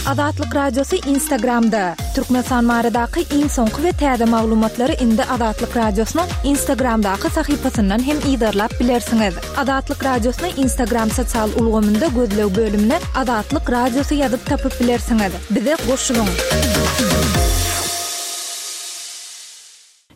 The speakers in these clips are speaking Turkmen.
Azatlyk Radiosy Instagramda! Türkmenistan baradaky iň soňky we täze maglumatlary indi Azatlyk Radiosynyň Instagramdaky sahypasyndan hem yzarlap bilersiňiz. Azatlyk Radiosyny Instagram sosial ulgamynda gözleg bölümine Azatlyk Radiosy ýazyp tapyp bilersiňiz. Bize goşulyň!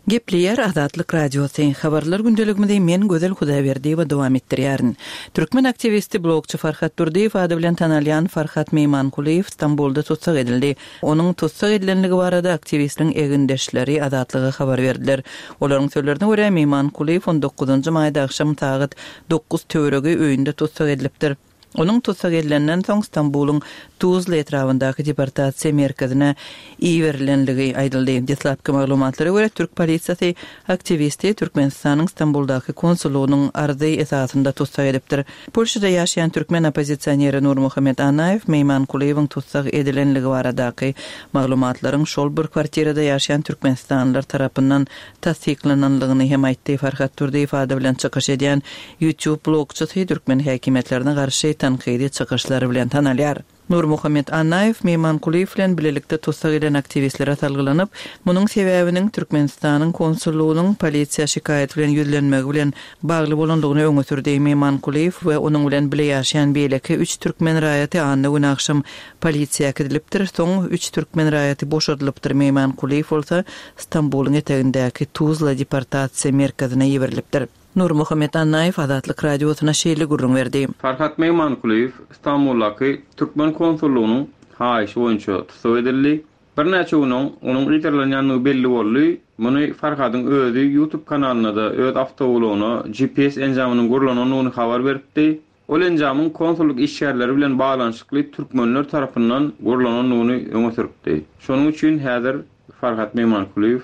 Gepleýär Azatlyk Radiosy. Habarlar gündeligimizi men Gözel Hudaýberdiýewa dowam etdirýärin. Türkmen aktiwisti, blogçy Farhat Durdyýew ady bilen tanalýan Farhat Meýmankulyýew Stambulda tussag edildi. Onuň tussag edilenligi barada aktiwistiň egindeşleri Azatlyga habar berdiler. Olaryň sözlerine görä, Meýmankulyýew on dokuzynjy maýda agşam sagat dokuz töweregi öýünde tussag edilipdir. Onuň tussag edilenden soň Stambulyň Tuzla etrabyndaky deportasiýa merkezine iberilenligi aýdyldy. Deslapky maglumatlara görä, türk polisiýasy aktiwisti Türkmenistanyň Stambuldaky konsullygynyň arzy esasynda tussag edipdir. Polşada ýaşaýan türkmen oppozisioneri Nurmuhammet Annaýew Meýmankulyýewiň tussag edilenligi baradaky maglumatlaryň şol bir kwartirada ýaşaýan türkmenistanlylar tarapyndan tassyklananlygyny hem aýtdy. Farhat Durdyýew ady bilen çykyş edýän YouTube blogçysy türkmen häkimiýetlerine garşy tankydy çykyşlary bilen tanalýar. Nurmuhammet Annaýew Meýmankulyýew bilen bilelikde tussag edilen aktiwistlere salgylanyp, munuň sebäbiniň Türkmenistanyň konsullygynyň polisiýa şikaýat bilen ýüzlenmegi bilen bagly bolandygyny öňe sürdi. Meýmankulyýew we onuň bilen bile ýaşaýan beýleki üç türkmen raýaty anna güni agşam polisiýa äkidilipdir, soň üç türkmen raýaty boşadylypdyr, Meýmankulyýew bolsa Stambulyň etegindäki Tuzla deportasiýa merkezine iberilipdir. Nurmuhammet Annaýew Azatlyk Radiosyna şeýle gürrüň berdi. Farhat Meýmankulyýew Stambuldaky türkmen konsullygynyň haýyşy boýunça tussag edildi. Birnäçe gün oň onuň yzarlanýandygy belli boldy. Muny Farhadyň özi YouTube kanalynda-da öz awtoulagyna GPS enjamynyň gurlanandygyny habar beripdi. Ol enjamyň konsullyk işgärleri bilen baglanyşykly türkmenler tarapyndan gurlanandygyny öňe sürüpdi. Şonuň üçin häzir Farhat Meýmankulyýew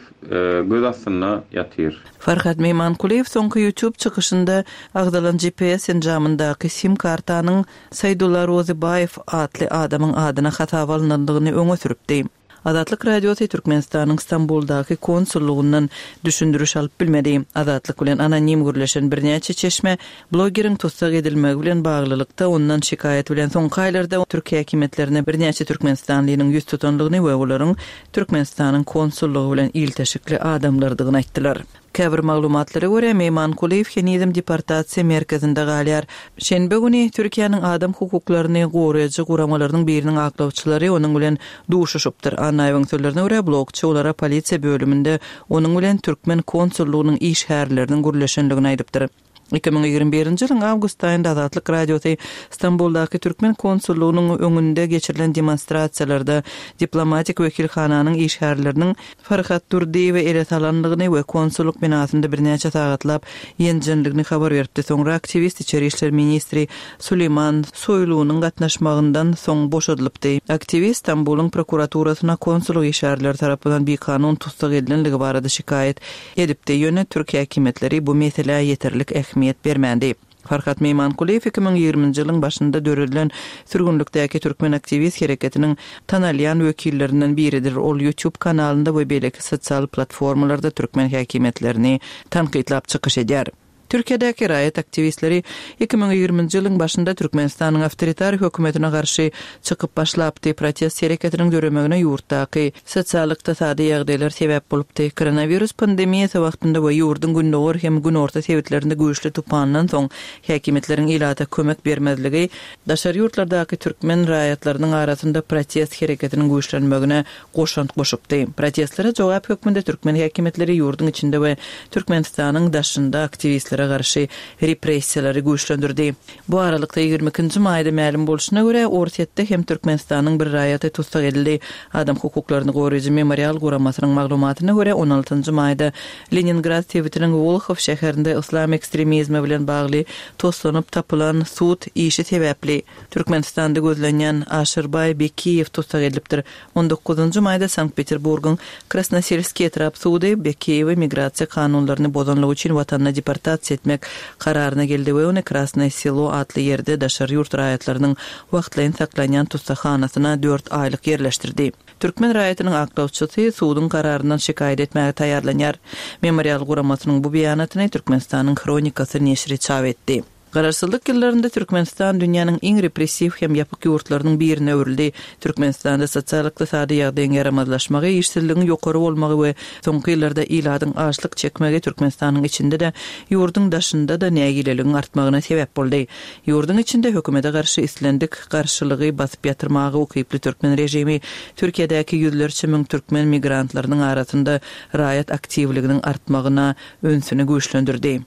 göz astynda ýatyr. Farhat Meýmankulyýew soňky YouTube çykyşynda agzalan GPS enjamyndaky sim kartanyň Saýdulla Rozybaýew atly adamyň adyna hasaba alnandygyny öňe sürüpdi. Azatlyk Radiosy Türkmenistanyň Stambuldaky konsullygyndan düşündiriş alyp bilmedi. Azatlyk bilen anonim gürleşen birnäçe çeşme blogeriň tussag edilmegi bilen baglylykda ondan şikaýat bilen soňky aýlarda türk häkimiýetlerine birnäçe türkmenistanlynyň ýüz tutandygyny we olaryň Türkmenistanyň konsullygy bilen ilteşikli adamlardygyny aýtdylar. Käbir maglumatlara görä, Meýmankulyýew henizem deportasiýa merkezinde galýar. Şenbe güni Türkiýäniň adam hukuklaryny goraýjy guramalarynyň biriniň aklawçylary onuň bilen duşuşypdyr. Annaýewiň sözlerine görä, blogçy olara polisiýa bölüminde onuň bilen türkmen konsullygynyň işgärleriniň gürleşendigini aýdypdyr. 2021-nji ýylyň awgust aýynda Azatlyk Radiosy Stambuldaky türkmen konsullygynyň öňünde geçirilen demonstrasiýalarda diplomatik wekilhananyň işgärleriniň Farhat Durdyýewi ele salandygyny we konsullyk binasynda birnäçe sagatlap ýenjendigini habar beripdi. Soňra aktiwist içeri işler ministri Suleýman Soýlunyň gatnaşmagyndan soň boşadylypdy. Aktiwist Stambulyň prokuraturasyna konsullyk işgärleri tarapyndan bikanun tussag edilenligi barada şikaýat edipdi, ýöne türk häkimiýetleri bu meselä ýeterlik ähmiýet bermändi. Farhat Meýmankulyýew 2020-nji ýylyň başynda döredilen sürgünlikdäki türkmen aktiwist hereketiniň tanalýan wekillerinden biridir. Ol YouTube kanalynda we beýleki sosial platformalarda türkmen häkimiýetlerini tankytlap çykyş edýär. Türkiýedäki raýat aktiwistleri 2020-nji ýylyň başynda Türkmenistanyň awtoritar hökümetine garşy çykyp başlapdy. Protest hereketiniň döremegine ýurtdaky sosial-ykdysady ýagdaýlar sebäp bolupdy. Koronawirus pandemiýasy wagtynda we ýurduň gündogar hem günorta sebitlerinde güýçli tupandan soň häkimiýetleriň ilata kömek bermezligi daşary ýurtlardaky türkmen raýatlarynyň arasynda protest hereketiniň güýçlenmegine goşant goşupdy. Protestlere jogap hökmünde türkmen häkimiýetleri ýurduň içinde we Türkmenistanyň daşynda aktiwistlere garşy repressiýalary güýçlendirdi. Bu aralykda, 22 nji maýda mälim bolşuna görä, Orsýetde hem Türkmenistanyň bir raýaty tussag edildi. Adam hukuklaryny goraýjy Memorial guramasynyň maglumatyna görä, 16 njy maýda Leningrad sebitiniň Wolhow şäherinde yslam ekstremizmi bilen bagly toslanyp tapylan sud işi sebäpli, Türkmenistanda gözlenýän Aşyrbaý Bekiýew tussag edilipdir. On dokuzynjy maýda Sankt-Peterburgyň Krasnoselskiý etrap sudy Bekiýewi migrasiýa kanunlaryny bozanlygy üçin watanyna deportasiýa etmek kararyna geldi we ony Krasnoýe Selo atly ýerde daşary ýurt raýatlarynyň wagtlaýyn saklanýan tussaghanasyna dört aýlyk ýerleşdirdi. Türkmen raýatynyň aklawçysy suduň kararyndan şikaýat etmäge taýýarlanýar. Memorial guramasynyň bu beýanatyny Türkmenistanyň Hronikasy neşiri çap etdi. Garaşsyzlyk ýyllarynda Türkmenistan dünýäniň iň repressiw hem ýapyk ýurtlarynyň birine öwrüldi. Türkmenistanda sosial-ykdysady ýagdaýyň ýaramazlaşmagy, işsizligiň ýokary bolmagy we soňky ýyllarda ilatyň açlyk çekmegi Türkmenistanyň içinde-de, ýurduň daşynda-da nägileligiň artmagyna sebäp boldy. Ýurduň içinde hökümete garşy islendik garşylygy basyp ýatyrmaga ukyply türkmen režimi Türkiýedäki ýüzlerçe müň türkmen migrantlarynyň arasynda raýat aktiwliginiň artmagyna ünsüni güýçlendirdi.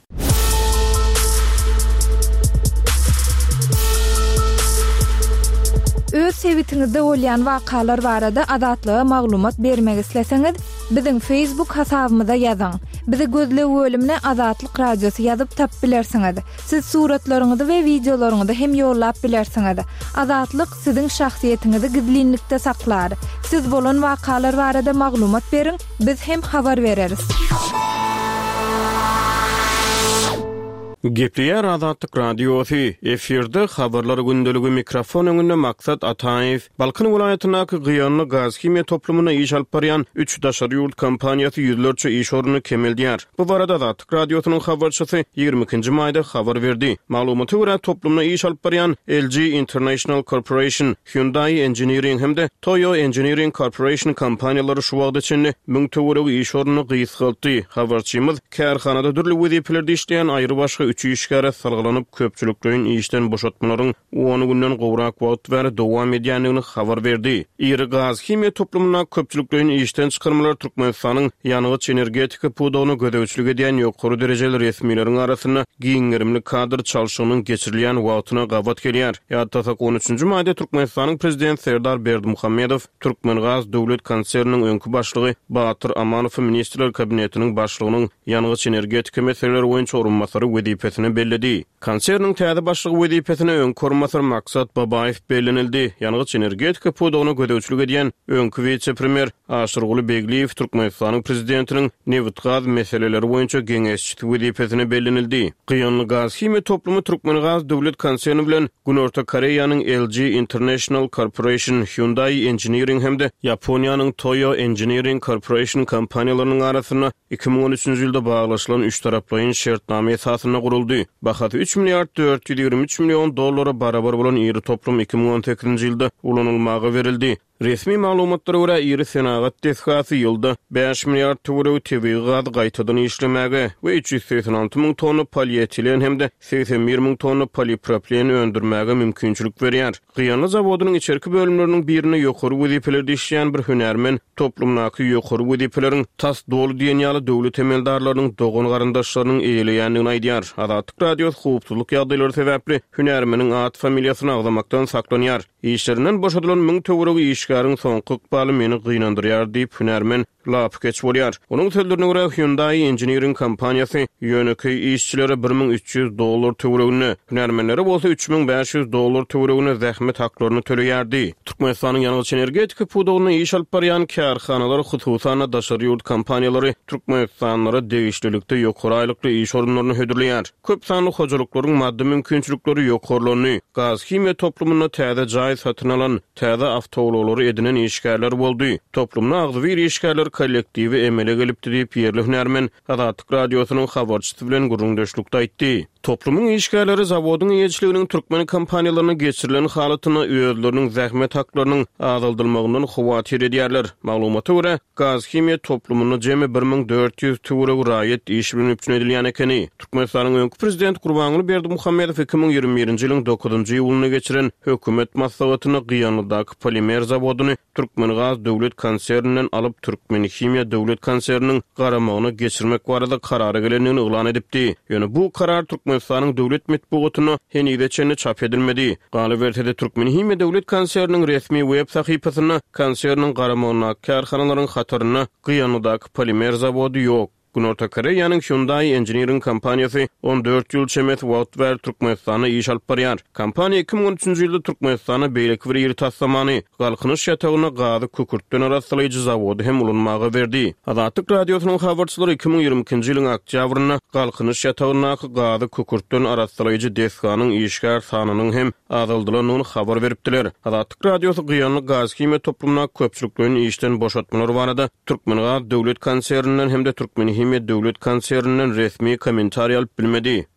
Öz sebitiňizde bolýan wakalar barada Azatlyga maglumat bermek isleseňiz, biziň Facebook hasabymyza ýazyň. Bizi gözleg bölümine Azatlyk Radiosy ýazyp tapyp bilersiňiz. Siz suratlaryňyzy we wideolaryňyzy hem ýollap bilersiňiz. Azatlyk siziň şahsyýetiňizi gizlinlikde saklar. Siz bolan wakalar barada maglumat beriň, biz hem habar bereris. Gepleýär Azatlyk Radiosy, efirde Habarlar gündeligi mikrofon öňünde Maksat Ataýew. Balkan welaýatyndaky Gyýanly gazhimiýa toplumynda iş alyp barýan üç daşary ýurt kompaniýasy ýüzlerçe iş ornuny kemeldýär. Bu barada Azatlyk Radiosynyň habarçysy 22-nji maýda habar berdi. Maglumata görä, toplumda iş alyp barýan LG International Corporation, Hyundai Engineering hem-de Toyo Engineering Corporation kompaniýalary şu wagta çenli müň töweregi iş ornuny gysgaltdy. Habarçymyz kärhanada dürli wezipelerde işleýän aýrybaşga üç işgäre salgylanyp, köpçülikleýin işden boşatmalaryň on günden gowrak wagt bäri dowam edýändigini habar berdi. Iri gaz-himiýa toplumyndaky köpçülikleýin işden çykarmalar Türkmenistanyň ýangyç-energetika pudagyna gözegçilik edýän ýokary derejeli resmileriň arasynda giň gerimli kadr çalşygynyň geçirilýän wagtyna gabat gelýär. Ýatlasak, on üçünji maýda Türkmenistanyň Prezidenti Serdar Berdimuhamedow Türkmengaz döwlet konserniniň öňki başlygy Batyr Amanowy Ministrler Kabinetiniň Başlygynyň ýangyç-energetika meseleleri boýunça orunbasary wezipesine belledi. Konserniň täze başlygy wezipesine öňki orunbasar Maksat Babaýew bellenildi. Ýangyç-energetika pudagyna gözegçilik edýän öňki wise-premýer Aşyrguly Begliýew Türkmenistanyň Prezidentiniň nebitgaz meseleleri boýunça geňeşçisi wezipesine bellenildi. Gyýanly gazhimiýa toplumy Türkmengaz döwlet konserni bilen Günorta Koreýanyň LG International Corporation, Hyundai Engineering hem-de Ýaponiýanyň Toyo Engineering Corporation kompaniýalarynyň arasynda 2013-nji ýylda baglaşylan üçtaraplaýyn şertnama esasynda guruldy. Bahasy üç milliard 423 million dollara barabar bolan iri toplum 2018-nji ýylda ulanylmaga berildi. Resmi maglumatlara görä, iri senagat desgasy ýylda bäş milliard töweregi tebigy gazy gaýtadan işlemäge we 386 müň tonna polietilen hem-de 81 müň tonna polipropilen öndürmäge mümkinçilik berýär. Gyýanly zawodynyň içerki bölümleriniň birinde ýokary wezipelerde işleýän bir hünärmen toplumdaky ýokary wezipeleriň tas doly diýen ýaly döwlet emeldarlarynyň dogan-garyndaşlarynyň eýeleýändigini aýdýar. Azatlyk Radiosy howpsuzlyk ýagdaýlary sebäpli hünärmeniň at-familiýasyny agzamakdan saklanýar. Işlerinden boşadylan müň töweregi işgäriň soňky ykbaly meni gynandyrýar diýip, hünärmen lapykeç bolýar. Onuň sözlerine görä, Hyundai Engineering kompaniýasy ýönekeý işçilere 1300 dollar töwereginde, hünärmenlere bolsa 3500 dollar töwereginde zähmet haklaryny töleýärdi. Türkmenistanyň ýangyç-energetika pudagynda iş alyp barýan kärhanalar, hususan-da, daşary ýurt kompaniýalary türkmenistanlylara degişlilikde ýokary aýlykly iş orunlaryny hödürleýär. Köp sanly hojalyklaryň maddy mümkinçilikleri ýokarlandy. Gaz-himiýa toplumynda täze jaý satyn alan, täze awtoulaglary edinen işgärler boldy. Toplumda agzybir işgärler kollektiwi emele gelipdi diýip, ýerli hünärmen Azatlyk Radiosynyň habarçysy bilen gürrüňdeşlikde aýtdy. Toplumyň işgärleri zawodyň eýeçiliginiň türkmen kompaniýalaryna geçirilen halatynda özleriniň zähmet haklarynyň azaldylmagyndan howatyr edýärler. Maglumata görä, Gazhimiýa toplumynda jemi 1400 töweregi raýat iş bilen üpjün edilýän ekeni. Türkmenistanyň öňki prezidenti Gurbanguly Berdimuhamedow 2021-nji ýylyň dokuzynjy iýulynda geçiren hökümet maslahatynda Gyýanlydaky polimer zawodyny Türkmengaz döwlet konserninden alyp Türkmenhimiýa döwlet konserniniň garamagyna geçirmek barada karara gelendigini yglan edipdi. Ýöne bu karar Türkmenistanyň döwlet metbugatynda henize çenli çap edilmedi. Galyberse-de, Türkmenhimiýa döwlet konserniniň resmi web sahypasynda konserniň garamagyndaky kärhanalaryň hatarynda Gyýanlydaky polimer zawody ýok. Günorta Koreýanyň Hyundai Engineering kompaniýasy 14 ýyl çemesi wagt bäri Türkmenistanda iş alyp barýar. Kompaniýa 2013-nji ýylda Türkmenistanda beýleki bir iri taslamany, Galkynyş ýatagynda gazy kükürtden arassalaýjy zawody hem ulanmaga berdi. Azatlyk Radiosynyň habarçylary 2022-nji ýylyň oktýabrynda Galkynyş ýatagyndaky gazy kükürtden arassalaýjy desganyň işgär sanynyň hem azaldylandygyny habar beripdiler. Azatlyk Radiosy Gyýanly gazhimiýa toplumyndaky köpçülikleýin işden boşatmalar barada Türkmengaz döwlet konserninden hem-de Türkmenhimiýa döwlet konserninden resmi kommentariý alyp bilmedi.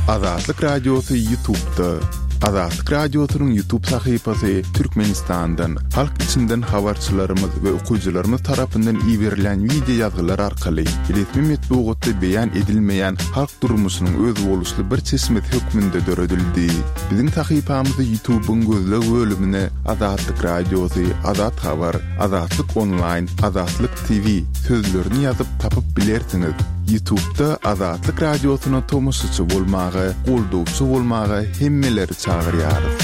Azatlyk Radiosy Ýutubda. Azatlyk Radiosynyň Ýutub sahypasy Türkmenistandan, halk içinden habarçylarymyz we okyjylarymyz tarapyndan iberilýän wideo ýazgylar arkaly resmi metbugatda beýan edilmeýän halk durmuşynyň özboluşly bir çeşmesi hökmünde döredildi. Biziň sahypamyzy Ýutubyň gözleg bölümine Azatlyk Radiosy, Azat Habar, Azatlyk Onlaýn, Azatlyk TV sözlerini ýazyp tapyp bilersiňiz. Ýutubda Azatlyk Radiosyna tomaşaçy bolmaga, goldawçy bolmaga hemmeleri çagyrýarys.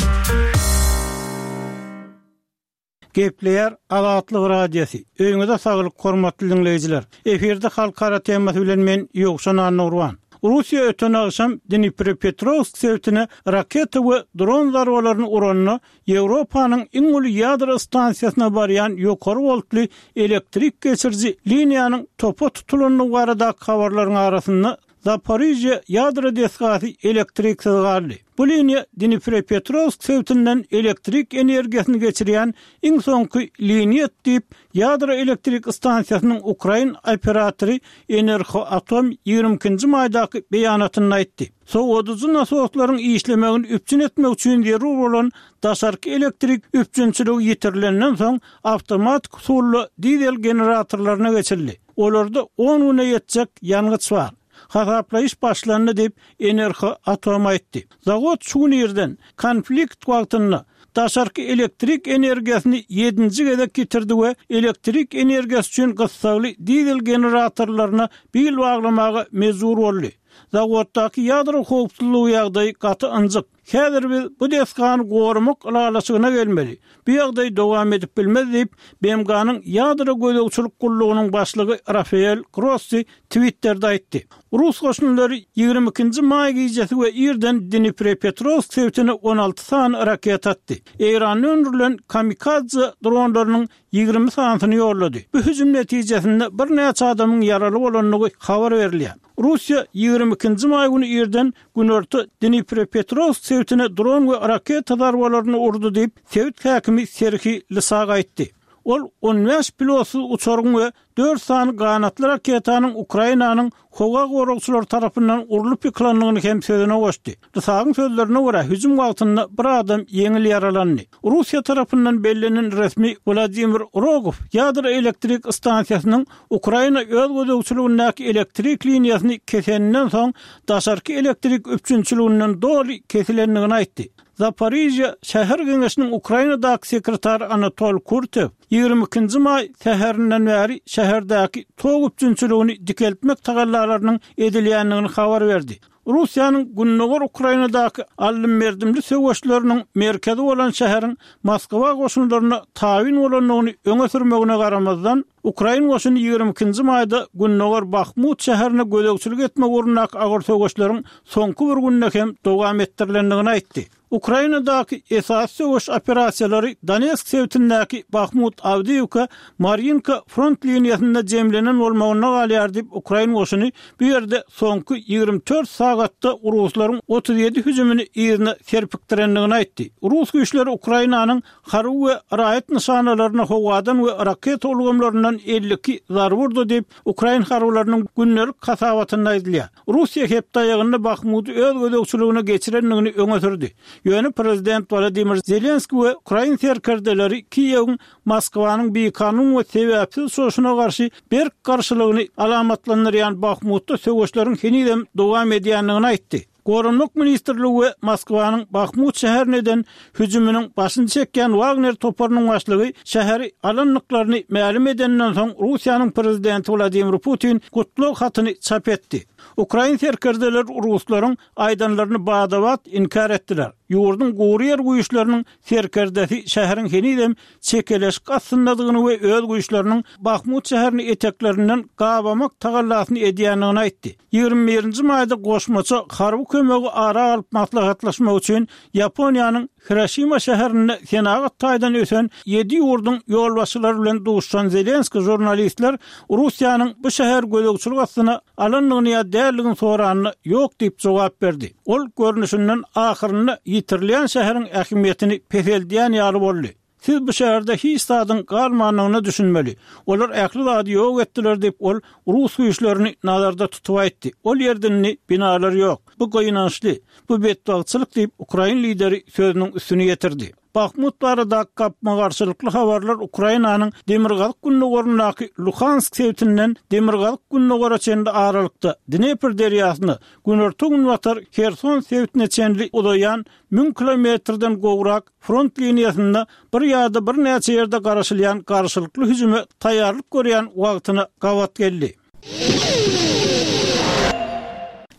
Gepleýär Azatlyk Radiosy. Öýüňize saglyk hormatly diňleýjiler. Efirde halkara temasy bilen men Ýowşan Annagurban. Russiýa öten agşam Dniprepetrowsk sebitine raketa we dron zarbalaryny uranda Ýewropanyň iň uly ýadro stansiýasyna barýan ýokary woltly elektrik geçiriji liniýanyň topa tutulandygy baradaky habarlaryň arasynda Zaporižýa ýadro desgasy elektriksiz galdy. Bu liniýa Dniprepetrowsk sebitinden elektrik energiýasyny geçirýän iň soňky liniýa diýip, ýadro elektrik stansiýasynyň ukrain operatory Enerhoatom 22-nji maýdaky beýanatynda aýtdy. Sowadyjy nasoslaryň işlemegini üpjün etmek üçin zerur bolan daşarky elektrik üpjünçiligi ýitirilenden soň, awtomatik usulda dizel generatorlaryna geçildi. Olarda on güne ýetjek ýangyç bar. Hasaplaýyş başlandy diýip, Enerhoatom aýtdy. Zawod şu gün irden, konflikt wagtynda, daşarky elektrik energiýasyny ýedinji gezek ýitirdi we elektrik energiýasy üçin gyssagly dizel generatorlaryna bil baglamaga mejbur boldy. Zawoddaky ýadro howpsuzlygy ýagdaýy gaty ynjyk. Häzir biz bu desgany goramak ylalaşygyna gelmeli. Bu ýagdaý dowam edip bilmez diýip, BMG-niň Ýadro gözegçilik gullugynyň başlygy Rafael Grossi Twitterde aýtdy. Rus goşunlary 22 nji maý gijesi we irden Dniprepetrowsk sebitine 16 sany raketa atdy. Eýranda öndürilen kamikadze dronlarynyň 20 sanysyny ýollady. Bu hüjüm netijesinde birnäçe adamyň ýaraly bolandygy habar berilýär. Russiýa 22 nji maý güni irden günorta Dniprepetrowsk sebitine dron we raketa zarbalaryny urdy diýip, sebit häkimi Serhiý Lysak aýtdy. Ol 15 pilotsyz uçaryň we dört sany ganatly raketanyň Ukrainanyň howa goragçylary tarapyndan urlup ýykylandygyny hem sözüne goşdy. Lysagyň sözlerine görä, hüjüm wagtynda bir adam ýeňil ýaralandy. Russiýa tarapyndan bellenen resmi Wladimir Rogow ýadro elektrik stansiýasynyň Ukraina öz gözegçiligindäki elektrik liniýasyny keseninden soň daşarky elektrik üpjünçiliginden doly kesilendigini aýtdy. Zaporižýa şäher geňeşiniň Ukrainadaky sekretary Anatol Kurtew 22-nji maý säherinden bäri şäherdäki tok üpjünçiligini dikeltmek tagallalarynyň edilýändigini habar berdi. Russiýanyň gündogar Ukrainadaky aldym-berdimli söweşleriniň merkezi bolan şäheriň Moskwa goşunlaryna tabyn bolandygyny öňe sürmegine garamazdan, ukrain goşuny 22-nji maýda gündogar Bahmut şäherine gözegçilik etmek ugrundaky agyr söweşleriň soňky bir günde hem dowam etdirilendigini aýtdy. Ukrainadaky esasy söweş operasiýalary Donetsk sebitindäki Bahmut-Awdiýewka, Marýinka front liniýasynda jemlenen bolmagynda galýar diýip, ukrain goşuny bu ýerde soňky 24 sagatda ruslaryň 37 hüjümini yzyna serpikdirendigini aýtdy. Rus güýçleri Ukrainanyň harby we raýat nyşanalaryna howadan we raketa ulgamlaryndan 52 zarba urdy diýip, ukrain harbylarynyň gündelik hasabatynda aýdylýar. Russiýa hepde aýagynda Bahmudy öz gözegçiligine geçirendigini öňe sürdi. Ýöne prezident Wolodymyr Zelenskiý we ukrain serkerdeleri Kiýewiň Moskwanyň bikanun we sebäpsiz çoşuna garşy berk garşylygyny alamatlandyrýan Bahmutda söweşleriň henizem dowam edýändigini aýtdy. Goranmak ministrligi we Moskwanyň Bahmut şäherine eden hüjüminiň başyny çekýän Wagner toparynyň başlygy şäheri alandyklaryny mälim edeninden soň Russiýanyň prezidenti Wladimir Putin gutlag hatyny çap etdi. Ukrain serkerdeleri ruslaryň aýdanlaryny bada-bat inkär etdiler. Ýurduň gury ýer güýçleriniň serkerdesi şäheriň henizem çekeleşik astyndadygyny we öz güýçleriniň Bahmut şäherini eteklerinden gabamak tagallasyny edýändigini aýtdy. 21-nji maýda goşmaça harby kömegi ara alyp maslahatlaşmak üçin Ýaponiýanyň Hiroşima şäherinde senagat taýdan ösen ýedi ýurduň ýolbaşçylary bilen duşuşan Zelenskiý žurnalistler Russiýanyň bu şäheri gözegçilik astyna alandygyny ýa däldigini soranda ýok diýip jogap berdi. Ol görnüşinden ahyrynda ýitirilýän şäheriň ähmiýetini peseldýän ýaly boldy. Siz bu şäherde hiç zadyň galmandygyna düşünmeli. Olar ähli zady ýok etdiler diýip, ol rus güýçlerini nazarda tutup aýtdy. Ol ýerde indi binalar ýok. Bu gynançly. Bu betbagtçylyk diýip, ukrain lideri sözüniň üstüni ýetirdi. Bahmut baradaky gapma-garşylykly habarlar Ukrainanyň demirgazyk-gündogaryndaky Luhansk sebitinden demirgazyk-gündogara çenli aralykda, Dnepr derýasyna, günorta-günbatar Herson sebitine çenli uzaýan müň kilometrden gowrak front liniýasynda bir ýa-da birnäçe ýerde garaşylýan garşylykly hüjüme taýýarlyk görýän wagtyna gabat geldi.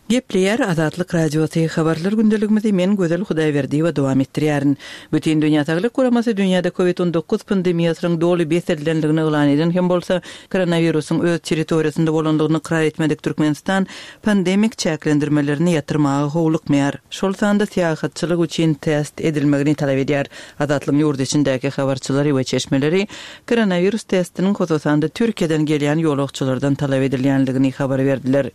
Gepleýär Azatlyk Radiosy, Habarlar gündeligimizi men Gözel Hudaýberdiýewa dowam etdirýärin. Bütindünýä Saglyk Guramasy dünýäde Covid 19 pandemiýasynyň doly bes edilendigini yglan eden hem bolsa, koronawirusyň öz territoriýasynda bolandygyny ykrar etmedik Türkmenistan pandemik çäklendirmelerini ýatyrmaga howlukmaýar, şol sanda syýahatçylyk üçin test edilmegini talap edýär. Azatlygyň ýurt içindäki habarçylary we çeşmeleri koronawirus testiniň hususan-da Türkiýeden gelýän ýolagçylardan talap edilýändigini habar berdiler.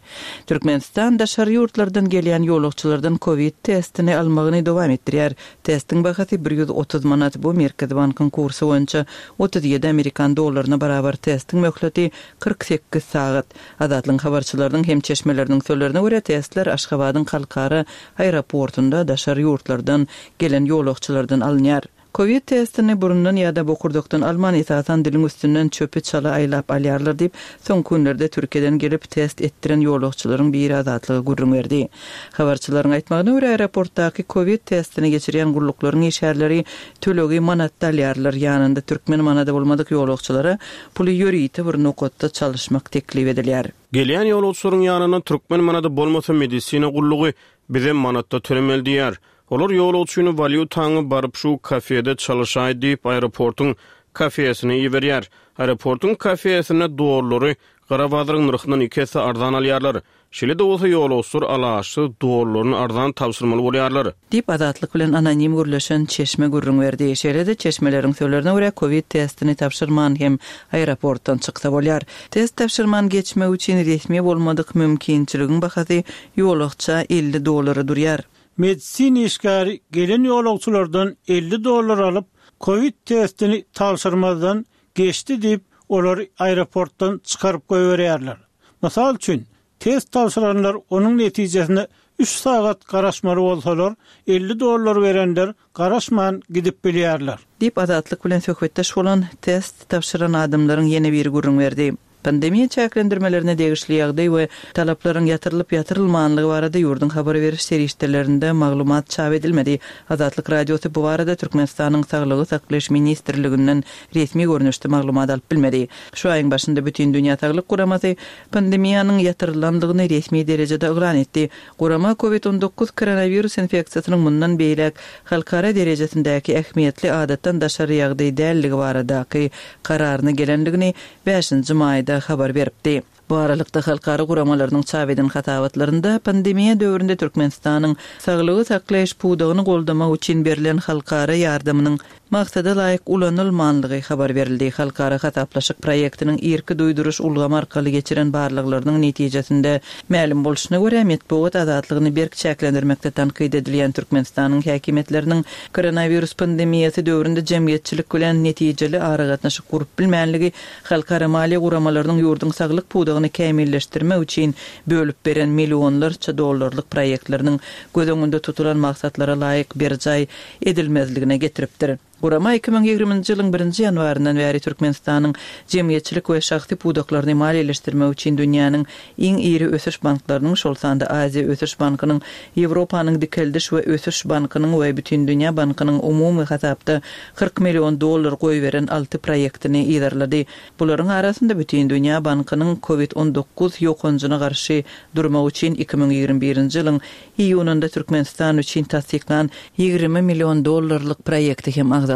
Türkmenistan daşary ýurtlardan gelýän ýolagçylardan kowid testini almagyny dowam etdirýär. Testiň bahasy 130 manat, bu Merkezi bankyň kursy boýunça 37 amerikan dollaryna barabar. Testiň möhleti 48 sagat. Azatlygyň habarçylarynyň hem çeşmeleriniň sözlerine görä, testler Aşgabadyň halkara aeroportunda daşary ýurtlardan gelen ýolagçylardan alynýar. Kowid testini burundan ýa-da bokurdakdan alman, esasan diliň üstünden çöpi çala aýlap alýarlar diýip, soňky günlerde Türkiýeden gelip, test etdiren ýolagçylaryň biri Azatlyga gürrüň berdi. Habarçylaryň aýtmagyna görä, aeroportdaky kowid testini geçirýän gulluklaryň işgärleri tölegi manatda alýarlar, ýanynda türkmen manady bolmadyk ýolagçylara puly ýörite bir nokatda çalyşmak teklip edilýär. Gelýän ýolagçylaryň ýanynda türkmen manady bolmasa medisina gullugy bize manatda tölemeli diýýär. Olar ýolagçyny walýutaňy baryp şu kafede çalyşaý diýip aeroportyň kafesine iberýär. Aeroportyň kafesinde dollary gara bazaryň nyrhyndan iki esse arzan alýarlar. Şeýle-de bolsa ýolagçylar alaçsyz dollaryny arzan tabşyrmaly bolýarlar. Diýip, Azatlyk bilen anonim gürleşen çeşme gürrüň berdi. Şeýle-de, çeşmeleriň sözlerine görä, kowid testini tabşyrman hem aeroportdan çyksa bolýar. Test tabşyrman geçmek üçin resmi bolmadyk mümkinçiligiň bahasy ýolagça 50 dollara durýar. Medisina işgäri gelen ýolagçylardan 50 dollar alyp, kowid testini tabşyrmazdan geçdi diýip, olary aeroportdan çykaryp goýberýärler. Mysal üçin, test tabşyranlar onuň netijesine üç sagat garaşmaly bolsalar, 50 dollar berenler garaşman gidip bilýärler. Diýip, Azatlyk bilen söhbetdeş bolan test tabşyran adamlaryň ýene biri gürrüň berdi. Pandemiýa çäklendirmelerine degişli ýagdaý we talaplaryň ýatyrylyp-ýatyrylmanlygy barada ýurduň habar beriş serişdelerinde maglumat çap edilmedi. Azatlyk Radiosy bu barada Türkmenistanyň Saglygy saklaýyş ministrliginden resmi görnüşde maglumat alyp bilmedi. Şu aýyň başynda Bütindünýä saglyk guramasy pandemiýanyň ýatyrylandygyny resmi derejede yglan etdi. Gurama Covid 19 koronawirus infeksiýasynyň mundan beýläk halkara derejesindäki ähmiýetli adatdan daşary ýagdaý däldigi baradaky kararyna gelendigini bäşinji maýda habar beripdi. Bu aralykda, halkara guramalarynyň çap eden hasabatlarynda pandemiýa döwründe Türkmenistanyň saglygy saklaýyş pudagyny goldamak üçin berlen halkara ýardamynyň maksada laýyk ulanylmanlygy habar berildi. Halkara hasaplaşyk proýektiniň irki duýduryş ulgamy arkaly geçiren barlaglarynyň netijesinde mälim bolşuna görä, metbugat azatlygyny berk çäklendirmekde tankyt edilýän Türkmenistanyň häkimiýetleriniň Koronawirus pandemiýasy döwründe jemgyýetçilik bilen netijeli aragatnaşyk gurup bilmänligi halkara maliýe guramalarynyň ýurduň saglyk pudagyny kämilleşdirmek üçin bölüp beren millionlarça dollarlyk proýektleriniň göz öňünde tutulan maksatlara laýyk berjaý edilmezligine getiripdir. Gurama 2020-nji ýylyň birinji ýanwaryndan bäri Türkmenistanyň jemgyýetçilik we şahsy pudaklaryny maliýeleşdirmek üçin dünýäniň iň iri ösüş banklarynyň, şol sanda Aziýa ösüş bankynyň, Ýewropanyň dikeldiş we ösüş bankynyň we Bütindünýä bankynyň umumy hasapda 40 million dollar goýberen alty proýektini yzarlady. Bularyň arasynda Bütindünýä bankynyň Covid 19 ýokanjyna garşy durmak üçin 2021-nji ýylyň Iýunynda Türkmenistan üçin tassyklan 20 million dollarlyk proýekti hem agzaldy.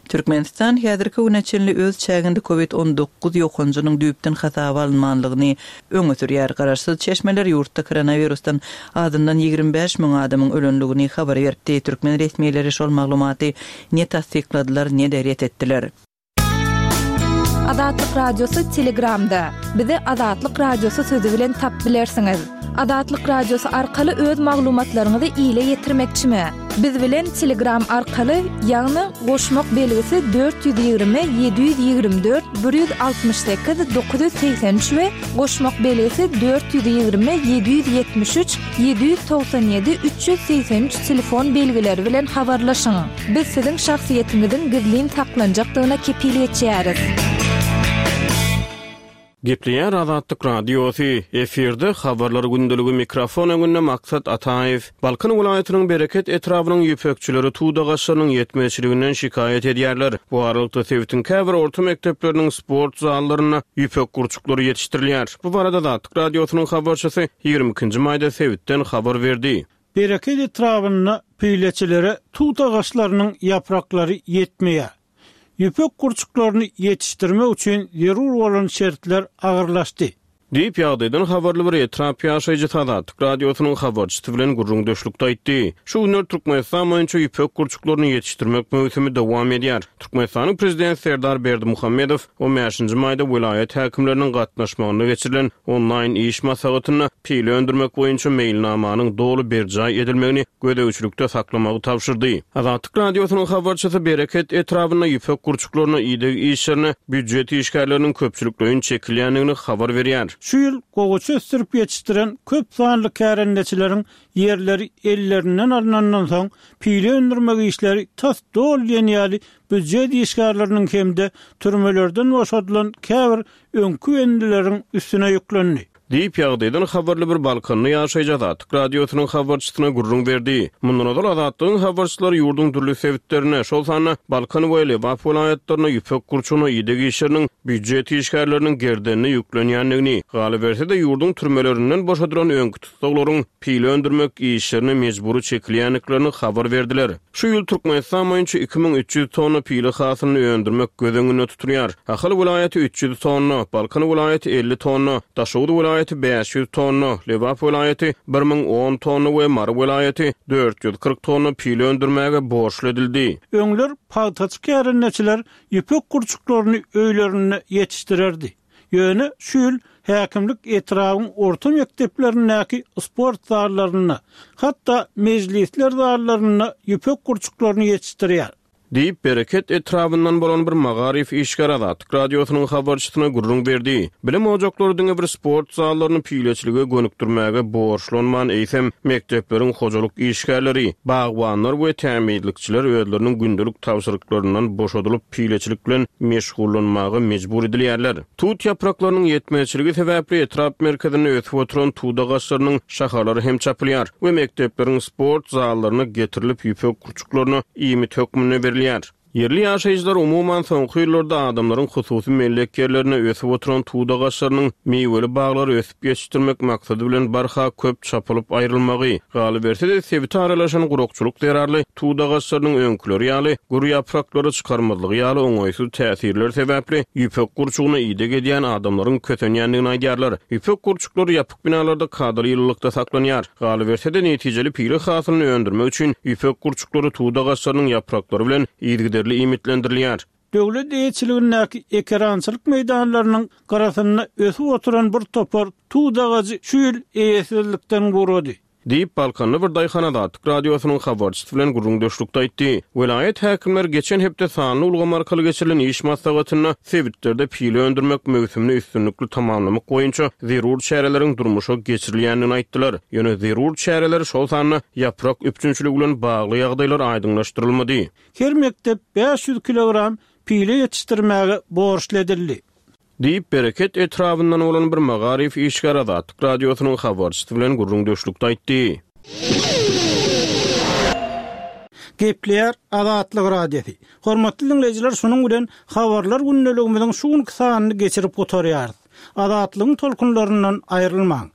Türkmenistan häzirki güne çenli öz çäginde Covid 19 ýokanjynyň düýpden hasaba alynmanlygyny öňe sürýär. Garaşsyz çeşmeler ýurtda koronawirusdan azyndan 25 müň adamyň ölenligini habar beripdi. Türkmen resmileri şol maglumaty ne tassykladylar, ne-de ret etdiler. Azatlyk Radiosy Telegramda. Bizi Azatlyk Radiosy sözi bilen tap bilersiňiz. Azatlyk Radiosy arkaly öz maglumatlaryňyzy ile ýetirmekçimi? Biz bilen Telegram arkaly, ýagny goşmak belgisi 420 724 168 983 we goşmak belgisi 420 773 797 383 telefon belgileri bilen habarlaşyň. Biz siziň şahsyýetiňiziň gizlin saklanjakdygyna kepil geçýäris. Gepleýär Azatlyk Radiosy, efirde Habarlar gündeligi mikrofon öňünde Maksat Ataýew. Balkan welaýatynyň Bereket etrabynyň ýüpekçileri tut agaçlarynyň ýetmezçiliginden şikaýat edýärler. Bu aralykda sebitiň käbir orta mekdepleriniň sport zallarynda ýüpek gurçuklary ýetişdirilýär. Bu barada Azatlyk Radiosynyň habarçysy 22 nji maýda sebitden habar berdi. Bereket etrabynda pileçilere tut agaçlarynyň ýapraklary ýetmeýär. Ýüpek gurçuklaryny ýetişdirmek üçin zerur bolan şertler agyrlaşdy. Diýip, ýagdaýdan habarly bir etrap ýaşaýjysy Azatlyk Radiosynyň habarçysy bilen gürrüňdeşlikde aýtdy. Şu günler Türkmenistan boýunça ýüpek gurçuklaryny ýetişdirmek möwsümi dowam edýär. Türkmenistanyň Prezidenti Serdar Berdimuhamedow on bäşinji maýda welaýat häkimleriniň gatnaşmagynda geçirilen onlaýn iş maslahatynda pile öndürmek boýunça meýilnamanyň doly berjaý edilmegini gözegçilikde saklamagy tabşyrdy. Azatlyk Radiosynyň habarçysy Bereket etrabynda ýüpek gurçuklaryna ideg işlerine býujet işgärleriniň köpçülikleýin çekilýändigini habar berýär. Şu ýyl gowaça ösdürip ýetişdiren köp sanly kärendeçileriň ýerleri ellerinden alnandan soň, pile öndürmek işleri tas doly diýen ýaly býujet işgärleriniň hem-de türmelerden boşadylan käbir öňki bendileriň üstüne ýüklendi. Diýip, ýagdaýdan habarly bir balkanly ýaşaýjy Azatlyk Radiosynyň habarçysyna gürrüň berdi. Mundan ozal Azatlygyň habarçylary ýurduň dürli sebitlerinde, şol sanda Balkan we Lebap welaýatlarynda ýüpek gurçugyna ideg işleriniň býujet işgärleriniň gerdenine ýüklenýändigini, galyberse-de, ýurduň türmelerinden boşadylan öňki tussaglaryň pile öndürmek işlerine mejbury çekilýändiklerini habar berdiler. Şu ýyl Türkmenistan boýunça 2300 tonna pile hasylyny öndürmek göz öňünde tutulýar. Ahal welaýaty 300 tonna, Balkan welaýaty 50 tonna, Daşoguz welaýaty 500 tonna, Lebap welaýaty 1010 tonna we Mary welaýaty 440 tonna pile öndürmäge borçly edildi. Öňler pagtaçy kärendeçiler ýüpek gurçuklaryny öýlerinde ýetişdirerdi. Ýöne şu ýyl häkimlik etrabyň orta mekdeplerindäki sport zallarynda, hatda mejlisler zallarynda ýüpek gurçuklaryny ýetişdirýär. Diýip, Bereket etrabyndan bolan bir magaryf işgäri Azatlyk Radiosynyň habarçysyna gürrüň berdi. Bilim ojaklary diňe bir sport zallaryny pileçilige gönükdirmäge borçlanman, eýsem, mekdepleriň hojalyk işgärleri, bagbanlar we tämizlikçiler özleriniň gündelik tabşyryklaryndan boşadylyp, pileçilik bilen meşgullanmaga mejbur edilýärler. Tut ýapraklarynyň ýetmezçiligi sebäpli etrap merkezinde ösüp oturan tut agaçlarynyň şahalary hem çapylýar we mekdepleriň sport zallaryna getirilip ýüpek gurçuklaryna iýmit hökmünde berilýär. Ýerli ýaşaýjylar umuman soňky ýyllarda adamlaryň hususy mellek ýerlerinde ösüp oturan tut agaçlarynyň miweli baglary ösüp ýetişdirmek maksady bilen barha köp çapylyp aýrylmagy, galyberse-de sebite aralaşan gurakçylyk zerarly tut agaçlarynyň öňküleri ýaly gür ýapraklary çykarmazlygy ýaly oňaýsyz täsirler sebäpli ýüpek gurçugyna ideg edýän adamlaryň kösenýändigini aýdýarlar. Ýüpek gurçuklary ýapyk binalarda kadaly ýylylykda saklanýar. Galyberse-de, netijeli pile hasylyny öndürmek üçin ýüpek gurçuklary tut agaçlarynyň ýapraklary bilen yzygiderli iýmitlendirilýär. Döwlet eýeçiligindäki ekerançylyk meýdanlarynyň gyrasynda ösüp oturan bir topar tut agajy şu ýyl eýesizlikden gurady. Diýip, balkanly bir daýhan Azatlyk Radiosynyň habarçysy bilen gürrüňdeşlikde aýtdy. Welaýat häkimleri geçen hepde sanly ulgam arkaly geçirilen iş maslahatynda sebitlerde pile öndürmek möwsümini üstünlikli tamamlamak boýunça zerur çäreleriň durmuşa geçirilýändigini aýtdylar. Ýöne zerur çäreler, şol sanda ýaprak üpjünçiligi bilen bagly ýagdaýlar aýdyňlaşdyrylmady. Her mekdep 500 kilogram pile ýetişdirmäge borçly edildi. Diýip, Bereket etrabyndan bolan bir magaryf işgäri Azatlyk Radiosynyň habarçysy bilen gürrüňdeşlikde aýtdy. Gepleýär Azatlyk Radiosy. Hormatly diňleýjiler şunuň bilen Habarlar gündeligimiziň şu günki sanyny geçirip gutarýarys. Azatlygyň tolkunlaryndan aýrylmaň.